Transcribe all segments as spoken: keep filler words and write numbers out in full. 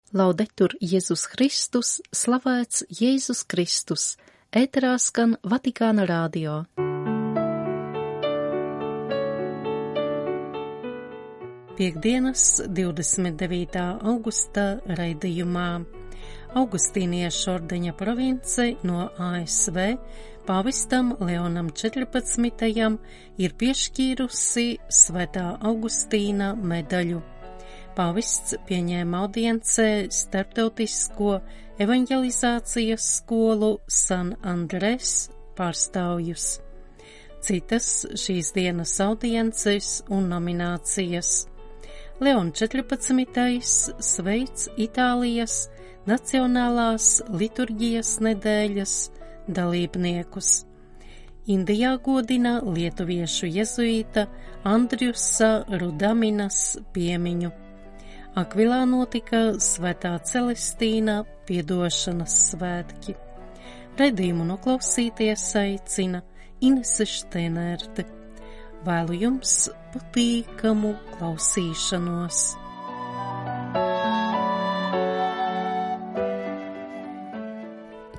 Laudetur Jēzus Kristus, slavēts Jēzus Kristus, ēterā skan Vatikāna radio. Piektdienas, divdesmit devītā augusta raidījumā. Augustīniešu ordeņa province no A S V pāvistam Leonam četrpadsmitajam ir piešķīrusi Svētā Augustīna medaļu. Pāvests pieņēma audiencē starptautisko evanģelizācijas skolu San Andres pārstāvjus. Citas šīs dienas audiences un nominācijas. Leon četrpadsmitais sveic Itālijas Nacionālās liturģijas nedēļas dalībniekus. Indijā godina lietuviešu jezuīta Andriusa Rudaminas piemiņu. Akvilā notika Svētā Celestīna piedošanas svētki. Raidījumu noklausīties aicina Inese Šteinerte. Vēlu jums patīkamu klausīšanos.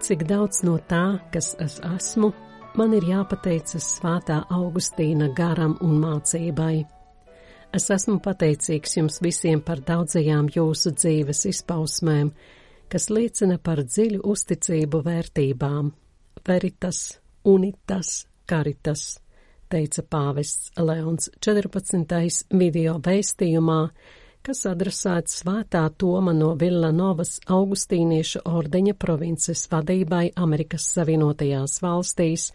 Cik daudz no tā, kas es esmu, man ir jāpateicas Svētā Augustīna garam un mācībai. Es esmu pateicīgs jums visiem par daudzajām jūsu dzīves izpausmēm, kas liecina par dziļu uzticību vērtībām. Veritas, unitas, caritas, teica pāvests Leons četrpadsmitais video vēstījumā, kas adresēts Svētā Toma no Villanovas Augustīniešu ordeņa provinces vadībai Amerikas Savienotajās valstīs,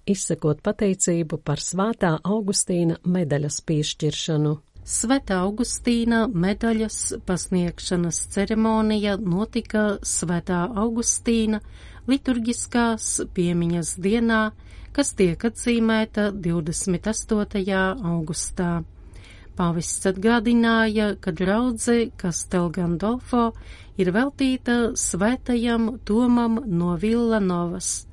izsakot pateicību par Svētā Augustīna medaļas piešķiršanu. Svētā Augustīna medaļas pasniegšanas ceremonija notika Svētā Augustīna liturģiskās piemiņas dienā, kas tiek atzīmēta divdesmit astotajā augustā. Pāvests atgādināja, ka draudze Castel Gandolfo ir veltīta svētajam Tomam no Villanovas,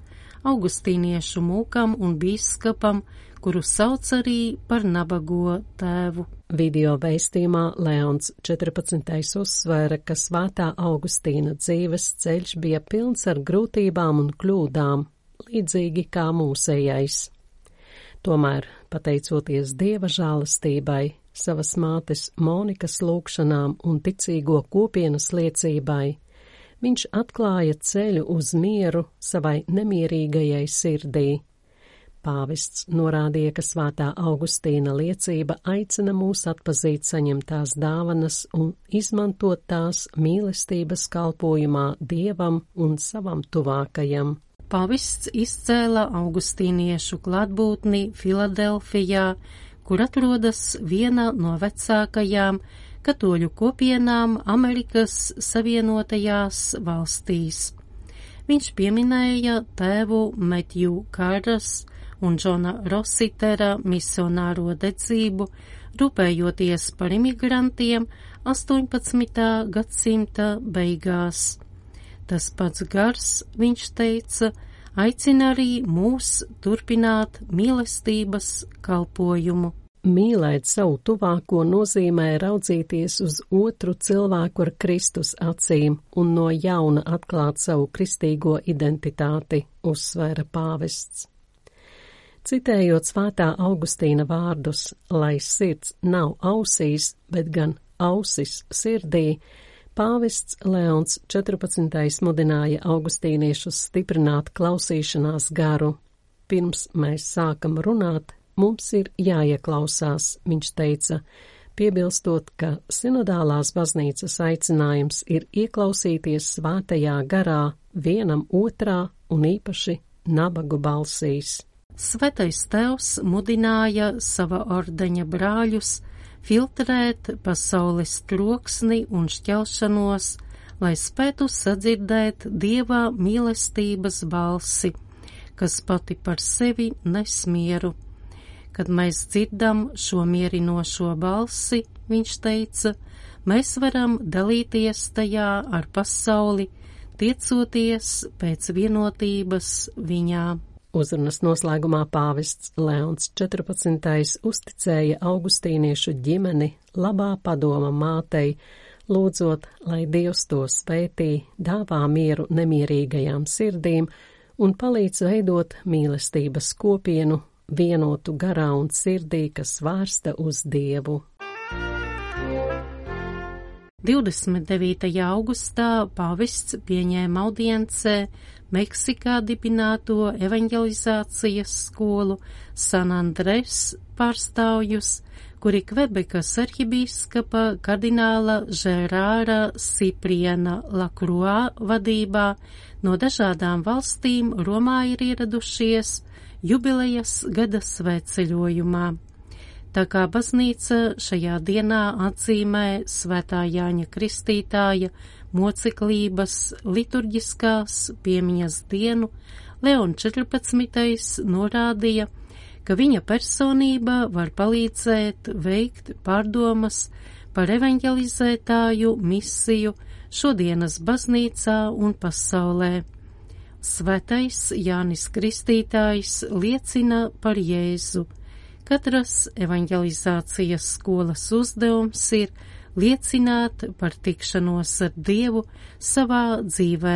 augustīniešu mūkam un bīskapam, kuru sauc arī par nabago tēvu. Video vēstījumā Leons četrpadsmitais uzsvēra, ka Svētā Augustīna dzīves ceļš bija pilns ar grūtībām un kļūdām, līdzīgi kā mūsējais. Tomēr, pateicoties Dieva žēlastībai, savas mātes Monikas lūgšanām un ticīgo kopienas liecībai, viņš atklāja ceļu uz mieru savai nemierīgajai sirdī. Pāvests norādīja, ka Svētā Augustīna liecība aicina mūs atpazīt saņemtās dāvanas un izmantot tās mīlestības kalpojumā Dievam un savam tuvākajam. Pāvests izcēla augustīniešu klātbūtni Filadelfijā, kur atrodas viena no vecākajām katoļu kopienām Amerikas Savienotajās valstīs. Viņš pieminēja tēvu Metju Kāras un Džona Rositera misionāro dedzību, rūpējoties par imigrantiem astoņpadsmitā gadsimta beigās. Tas pats gars, viņš teica, aicina arī mūs turpināt mīlestības kalpojumu. Mīlēt savu tuvāko nozīmē raudzīties uz otru cilvēku ar Kristus acīm un no jauna atklāt savu kristīgo identitāti, uzsvēra pāvests. Citējot Svētā Augustīna vārdus, lai sirds nav ausīs, bet gan ausis sirdī, pāvests Leons četrpadsmitais mudināja augustīniešus stiprināt klausīšanās garu. Pirms mēs sākam runāt, mums ir jāieklausās, viņš teica, piebilstot, ka sinodālās baznīcas aicinājums ir ieklausīties svētajā garā vienam otrā un īpaši nabagu balsīs. Svētais tēvs mudināja sava ordeņa brāļus filtrēt pasaules troksni un šķelšanos, lai spētu sadzirdēt Dieva mīlestības balsi, kas pati par sevi nes mieru. Kad mēs dzirdam šo mierinošo balsi, viņš teica, mēs varam dalīties tajā ar pasauli, tiecoties pēc vienotības viņā. Uzrunas noslēgumā pāvests Leons četrpadsmitais uzticēja augustīniešu ģimeni labā padoma mātei, lūdzot, lai Dievs to svētī, dāvā mieru nemierīgajām sirdīm un palīdz veidot mīlestības kopienu, vienotu garā un sirdī, kas vērsta uz Dievu. divdesmit devītajā augustā pāvests pieņēma audiencē Meksikā dibināto evanģelizācijas skolu San Andres pārstāvjus, kuri Kvebekas arhibīskapa kardināla Žerāra Sipriena Lakruā vadībā no dažādām valstīm Romā ir ieradušies jubilejas gada svētceļojumā. Tā kā baznīca šajā dienā atzīmē Svētā Jāņa Kristītāja moceklības liturģiskās piemiņas dienu, Leons četrpadsmitais norādīja, ka viņa personība var palīdzēt veikt pārdomas par evanģelizētāju misiju šodienas baznīcā un pasaulē. Svētais Jānis Kristītājs liecina par Jēzu. Katras evanģelizācijas skolas uzdevums ir liecināt par tikšanos ar Dievu savā dzīvē.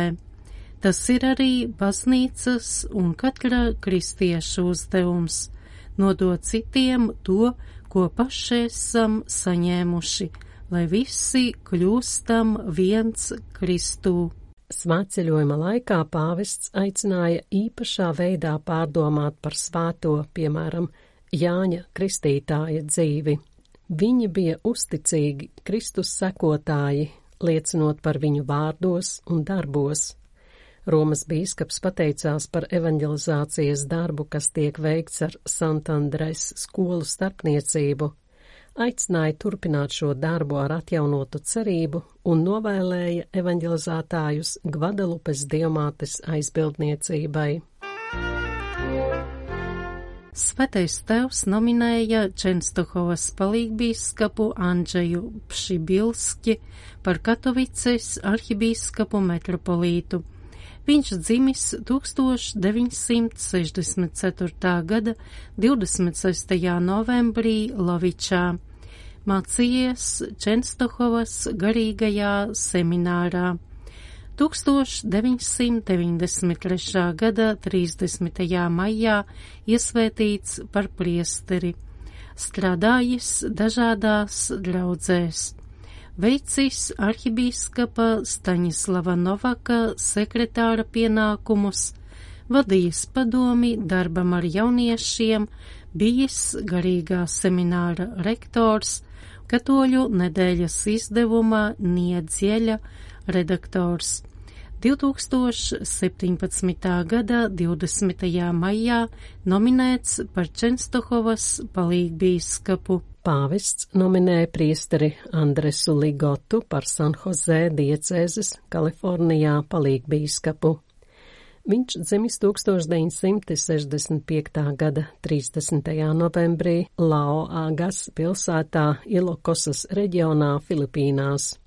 Tas ir arī baznīcas un katra kristieša uzdevums – nodot citiem to, ko paši esam saņēmuši, lai visi kļūstam viens Kristū. Svētceļojuma laikā pāvests aicināja īpašā veidā pārdomāt par svēto, piemēram, Jāņa Kristītāja dzīvi. Viņi bija uzticīgi Kristus sekotāji, liecinot par viņu vārdos un darbos. Romas bīskaps pateicās par evanģelizācijas darbu, kas tiek veikts ar Santandres skolu starpniecību, aicināja turpināt šo darbu ar atjaunotu cerību un novēlēja evanģelizētājus Gvadelupes dievmātes aizbildniecībai. Svētais Tēvs nominēja Čenstohovas palīgbīskapu Andžeju Pšibilski par Katovices arhibīskapu metropolītu. Viņš dzimis tūkstoš deviņsimt sešdesmit ceturtā gada divdesmit sestajā novembrī Lovičā. Mācījies Čenstohovas garīgajā seminārā. tūkstoš deviņsimt deviņdesmit trešā gada trīsdesmitajā maijā iesvētīts par priesteri, strādājis dažādās draudzēs, veicis arhibīskapa Staņislava Novaka sekretāra pienākumus, vadījis padomi darbam ar jauniešiem, bijis garīgā semināra rektors, Katoļu nedēļas izdevuma Niedzieļa redaktors. divtūkstoš septiņpadsmitā gada divdesmitajā maijā nominēts par Čenstohovas palīgbīskapu. Pāvests nominēja priesteri Andresu Ligotu par San Jose diecēzes Kalifornijā palīgbīskapu. Viņš dzimis tūkstoš deviņsimt sešdesmit piektā gada trīsdesmitajā novembrī Laoagas pilsētā Ilokosas reģionā Filipīnās.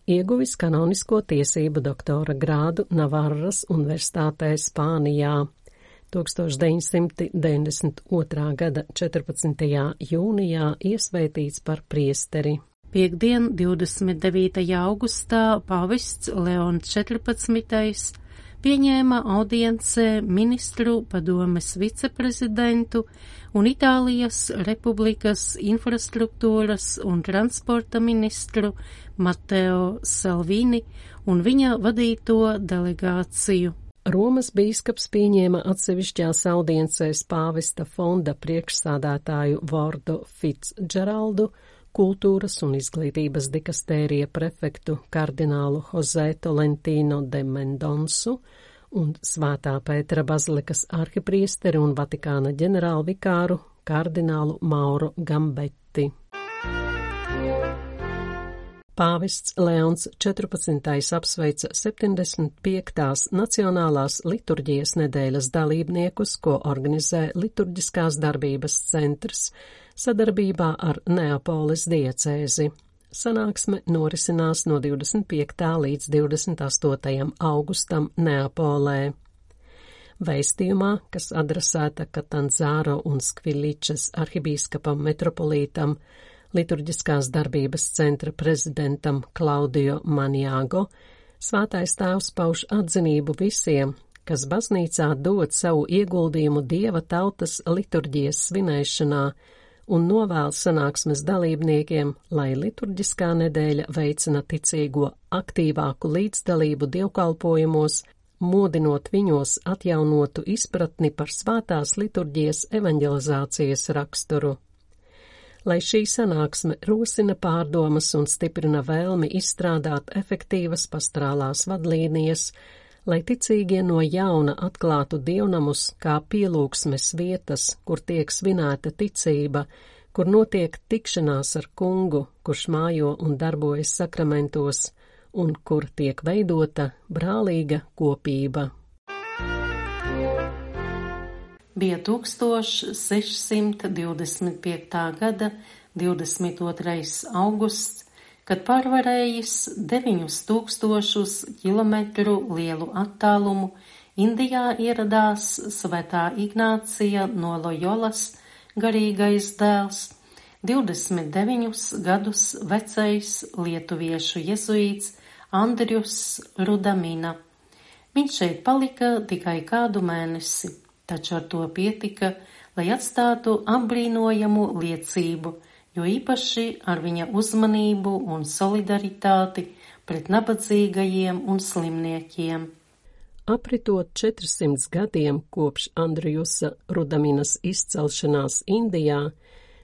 Ieguvis kanonisko tiesību doktora grādu Navarras universitātē Spānijā. tūkstoš deviņsimt deviņdesmit otrā gada četrpadsmitajā jūnijā iesvētīts par priesteri. Piektdien, divdesmit devītajā augustā, pāvests Leons četrpadsmitais pieņēma audiencē ministru padomes viceprezidentu un Itālijas Republikas infrastruktūras un transporta ministru Mateo Salvini un viņa vadīto delegāciju. Romas bīskaps pieņēma atsevišķās audiencēs pāvesta fonda priekšsādātāju Vordo Fitzgeraldu, kultūras un izglītības dikastērija prefektu kardinālu Jose Tolentino de Mendonsu un Svētā Pētera bazilikas arhipriesteri un Vatikāna ģenerālvikāru kardinālu Mauro Gambetti. Pāvests Leons četrpadsmitais apsveica septiņdesmit piektās Nacionālās liturģijas nedēļas dalībniekus, ko organizē Liturģiskās darbības centrs sadarbībā ar Neapoles diecēzi. Sanāksme norisinās no divdesmit piektā līdz divdesmit astotajam augustam Neapolē. Vēstījumā, kas adresēta Katanzāro un Skviličas arhibīskapam metropolītam, Liturģiskās darbības centra prezidentam Klaudio Maniago Svētais Tēvs pauž atzinību visiem, kas baznīcā dod savu ieguldījumu Dieva tautas liturģijas svinēšanā un novēl sanāksmes dalībniekiem, lai liturģiskā nedēļa veicina ticīgo aktīvāku līdzdalību dievkalpojumos, mudinot viņos atjaunotu izpratni par svētās liturģijas evanģelizācijas raksturu. Lai šī sanāksme rosina pārdomas un stiprina vēlmi izstrādāt efektīvas pastorālās vadlīnijas, lai ticīgie no jauna atklātu dievnamus kā pielūgsmes vietas, kur tiek svinēta ticība, kur notiek tikšanās ar kungu, kurš mājo un darbojas sakramentos, un kur tiek veidota brālīga kopība. Bija tūkstoš sešsimt divdesmit piektā gada divdesmit otrais augusts, kad pārvarējis deviņus tūkstošus kilometru lielu attālumu, Indijā ieradās Svētā Ignācija no Lojolas garīgais dēls, divdesmit deviņus gadus vecais lietuviešu jezuīts Andrius Rudamina. Viņš šeit palika tikai kādu mēnesi. Taču ar to pietika, lai atstātu apbrīnojamu liecību, jo īpaši ar viņa uzmanību un solidaritāti pret nabadzīgajiem un slimniekiem. Apritot četrsimt gadiem kopš Andriusa Rudaminas izcelšanās Indijā,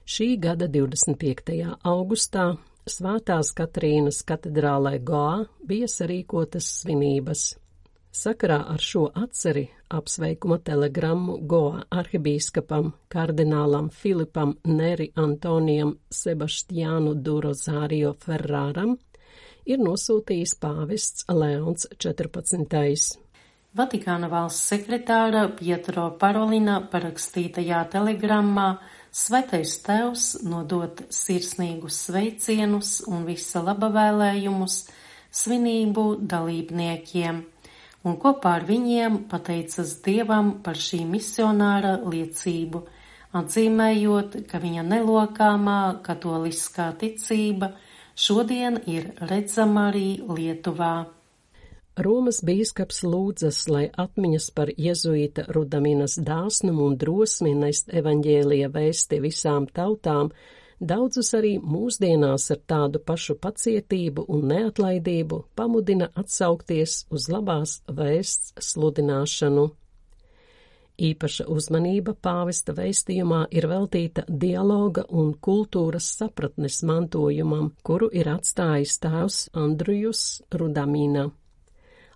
šī gada divdesmit piektajā augustā Svētās Katrīnas katedrālē Goā bija sarīkotas svinības. Sakarā ar šo atceri apsveikuma telegrammu Goā arhibīskapam kardinālam Filipam Neri Antonijam Sebastiānu du Rozārio Ferraram ir nosūtījis pāvests Leons četrpadsmitais. Vatikāna valsts sekretāra Pietro Parolina parakstītajā telegrammā Svētais Tēvs nodot sirsnīgus sveicienus un visa laba vēlējumus svinību dalībniekiem, un kopā ar viņiem pateicas Dievam par šī misionāra liecību, atzīmējot, ka viņa nelokāmā katoliskā ticība šodien ir redzama arī Lietuvā. Romas bīskaps lūdzas, lai atmiņas par jezuīta Rudaminas dāsnumu un drosmi nest evaņģēlija vēsti visām tautām daudzus arī mūsdienās ar tādu pašu pacietību un neatlaidību pamudina atsaukties uz labās vēsts sludināšanu. Īpaša uzmanība pāvesta vēstījumā ir veltīta dialoga un kultūras sapratnes mantojumam, kuru ir atstājis tēvs Andrius Rudamina.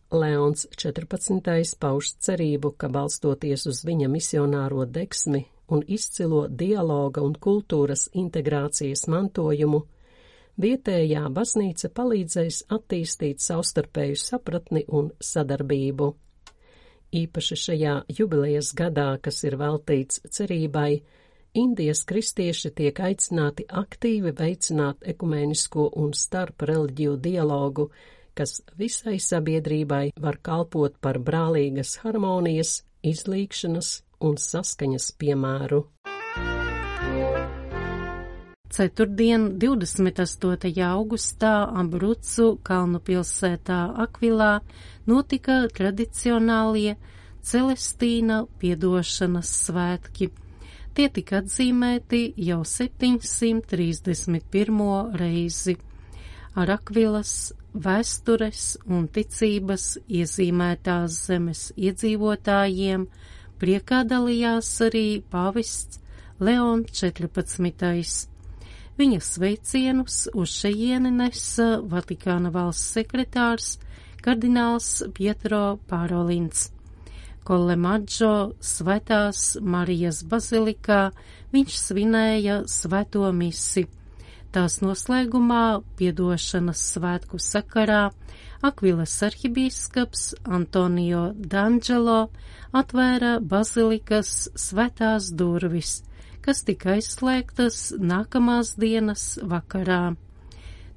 Leons četrpadsmitais pauž cerību, ka balstoties uz viņa misionāro degsmi un izcilo dialoga un kultūras integrācijas mantojumu, vietējā baznīca palīdzēs attīstīt savstarpēju sapratni un sadarbību. Īpaši šajā jubilejas gadā, kas ir veltīts cerībai, Indijas kristieši tiek aicināti aktīvi veicināt ekumēnisko un starp reliģiju dialogu, kas visai sabiedrībai var kalpot par brālīgas harmonijas, izlīgšanas un saskaņas piemēru. Ceturtdien, divdesmit astotajā augustā, Abrucu kalnu pilsētā Akvilā notika tradicionālie Celestīna piedošanas svētki. Tie tika atzīmēti jau septiņsimt trīsdesmit pirmo reizi. Ar Akvilas vēstures un ticības iezīmētās zemes iedzīvotājiem priekā dalījās arī pāvests Leons četrpadsmitais. Viņa sveicienus uz šejieni nesa Vatikāna valsts sekretārs kardināls Pietro Parolins. Kolemaģo Svētās Marijas bazilikā viņš svinēja svēto misi. Tās noslēgumā piedošanas svētku sakarā Akvilas arhibīskaps Antonio D'Angelo atvēra bazilikas svētās durvis, kas tika aizslēgtas nākamās dienas vakarā.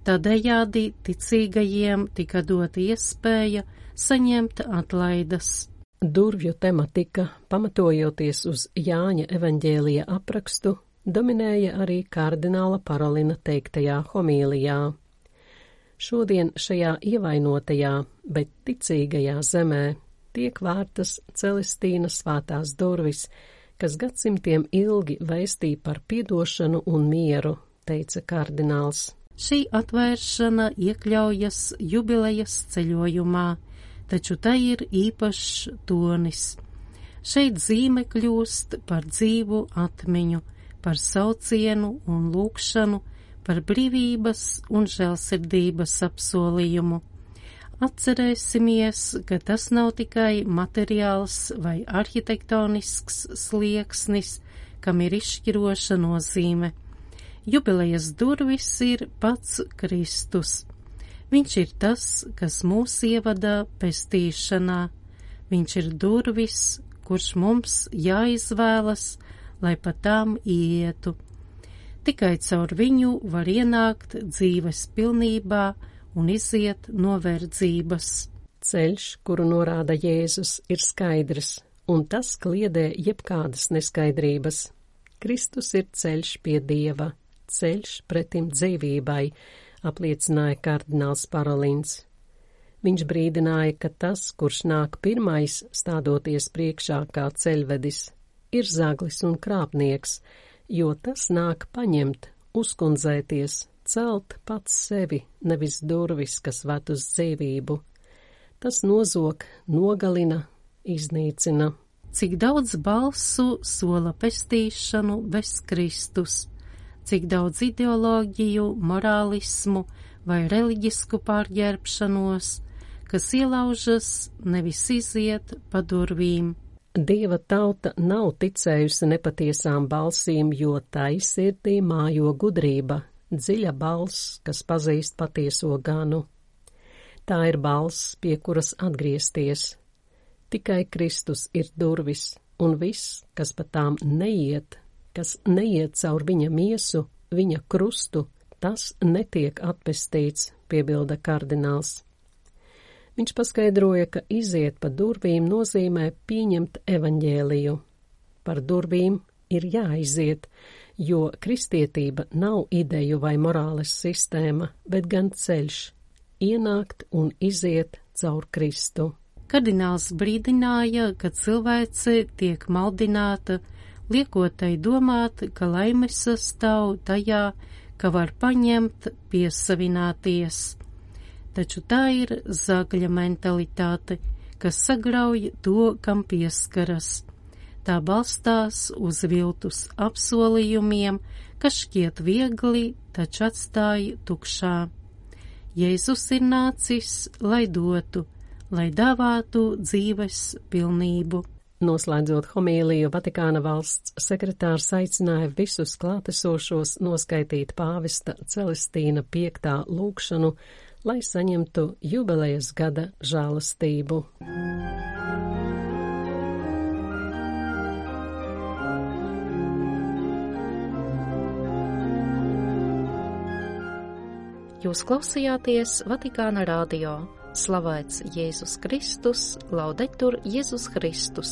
Tādējādi ticīgajiem tika dota iespēja saņemt atlaides. Durvju tematika, pamatojoties uz Jāņa evaņģēlija aprakstu, dominēja arī kardināla Parolina teiktajā homīlijā. Šodien šajā ievainotajā, bet ticīgajā zemē tiek vērtas Celestīnas svētās durvis, kas gadsimtiem ilgi vēstīja par piedošanu un mieru, teica kardināls. Šī atvēršana iekļaujas jubilejas ceļojumā, taču tai ir īpašs tonis. Šeit zīme kļūst par dzīvu atmiņu, par saucienu un lūgšanu, par brīvības un žēlsirdības apsolījumu. Atcerēsimies, ka tas nav tikai materiāls vai arhitektonisks slieksnis, kam ir izšķiroša nozīme. Jubilejas durvis ir pats Kristus. Viņš ir tas, kas mūs ievada pestīšanā. Viņš ir durvis, kurš mums jāizvēlas, lai pa tām ietu. Tikai caur viņu var ienākt dzīves pilnībā un iziet no verdzības. Ceļš, kuru norāda Jēzus, ir skaidrs, un tas kliedē jebkādas neskaidrības. Kristus ir ceļš pie Dieva, ceļš pretim dzīvībai, apliecināja kardināls Parolins. Viņš brīdināja, ka tas, kurš nāk pirmais, stādoties priekšā kā ceļvedis, ir zaglis un krāpnieks, jo tas nāk paņemt, uzkundzēties, celt pats sevi, nevis durvis, kas ved uz dzīvību. Tas nozog, nogalina, iznīcina. Cik daudz balsu sola pestīšanu bez Kristus, cik daudz ideoloģiju, morālismu vai reliģisku pārģērbšanos, kas ielaužas, nevis iziet pa durvīm. Dieva tauta nav ticējusi nepatiesām balsīm, jo tai sirdī mājo gudrība, dziļa balss, kas pazīst patieso ganu. Tā ir balss, pie kuras atgriezties. Tikai Kristus ir durvis, un viss, kas pa tām neiet, kas neiet caur viņa miesu, viņa krustu, tas netiek atpestīts, piebilda kardināls. Viņš paskaidroja, ka iziet pa durvīm nozīmē pieņemt evaņģēliju. Par durvīm ir jāiziet, jo kristietība nav ideju vai morāles sistēma, bet gan ceļš – ienākt un iziet caur Kristu. Kardināls brīdināja, ka cilvēce tiek maldināta, liekot tai domāt, ka laimes sastāv tajā, ka var paņemt, piesavināties. Taču tā ir zagļa mentalitāte, kas sagrauj to, kam pieskaras. Tā balstās uz viltus apsolījumiem, kas šķiet viegli, taču atstāj tukšā. Jēzus ir nācis, lai dotu, lai dāvātu dzīves pilnību. Noslēdzot homīliju, Vatikāna valsts sekretārs aicināja visus klātesošos noskaitīt pāvesta Celestīna piektā lūgšanu, lai saņemtu jubilejas gada žēlastību. Jūs klausījāties Vatikāna radio. Slavēts Jēzus Kristus, laudetur Jēzus Kristus.